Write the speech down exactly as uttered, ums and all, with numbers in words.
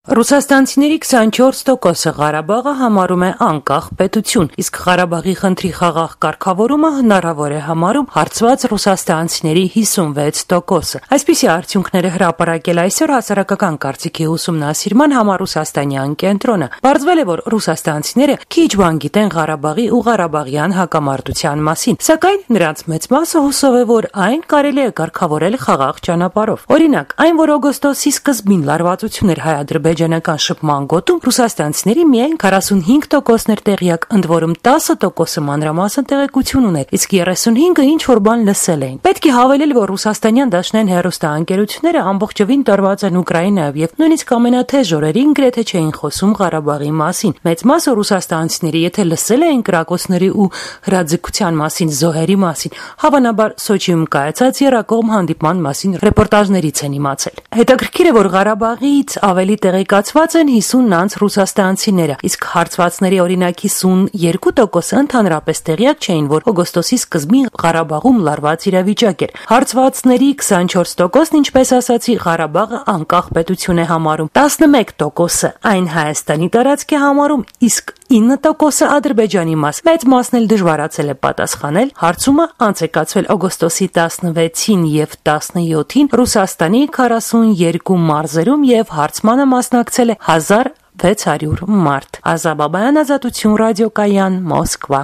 Ռուսաստանցիների քսանչորս տոկոսը Ղարաբաղը համարում է անկախ պետություն, իսկ Ղարաբաղի խնդրի խաղաղ կարգավորումը հնարավոր է համարում հարցված ռուսաստանցիների հիսունվեց տոկոսը։ Այսպիսի արդյունքները հրապարակել այսօր հասարակական կարծիքի ուսումնասիրման համառուսաստանյան կենտրոնը։ Պարզվել է, որ ռուսաստանցիները քիչ բան գիտեն Ղարաբաղի ու ղարաբաղյան հակամարտության մասին, սակայն նրանց մեծ մասը հուսով է, որ այն կարելի է կարգավորել խաղաղ ճանապարհով։ Օրինակ, այն, որ օգոստոսի սկզբին լարվածություն էր հայ-ադրբեջանական շփման գոտում, ռուսաստանցիների միայն քառասունհինգ տոկոսն էր տեղյակ, ընդ որում տասը տոկոսը մանրամասն տեղեկություն ուներ, իսկ երեսունհինգը ինչ-որ բան լսել էին։ Պետք է հավելել, որ ռուսաստանյան դաշնային հեռուստաընկերությունները ամբողջովին տարված են Ուկրաինայով եւ նույնիսկ ամենաթեժ օրերին գրեթե չէին խոսում Ղարաբաղի մասին։ Մեծ մասը ռուսաստանցիների, եթե լսել էին կրակոցների ու հրաձգության մասին, զոհերի մասին, հավանաբար Սոչիում կայացած եռակողմ հանդիպման մասին ռեպորտաժներից են իմացել։ Հետաքրքիր է, որ Ղարաբաղից ավելի տեղեկացված են հիսուն անց ռուսաստանցիները, իսկ հարցվածների օրինակ հիսունյոթ տոկոսը ընդհանրապես տեղյակ չէին, որ օգոստոսի սկզբին Ղարաբաղում լարված իրավիճակ էր։ Հարցվածների քսանչորս տոկոսն, ինչպես ասացի, Ղարաբաղը անկախ պետություն է համարում, տասնմեկ տոկոսը այն Հայաստանի տարածք է համարում, իսկ ինը տոկոսը Ադրբեջանի մաս։ Մեծ մասն էլ դժվարացել է պատասխանել։ Հարցումը անց է կացվել օգոստոսի տասնվեցին եւ տասնյոթին Ռուսաստանի քառասունյոթ մարզերում եւ հարցմանը մասնակցել է հազար վեց հարյուր մարդ։ Ազա Բաբայան, Ազատություն ռադիոկայան, Մոսկվա։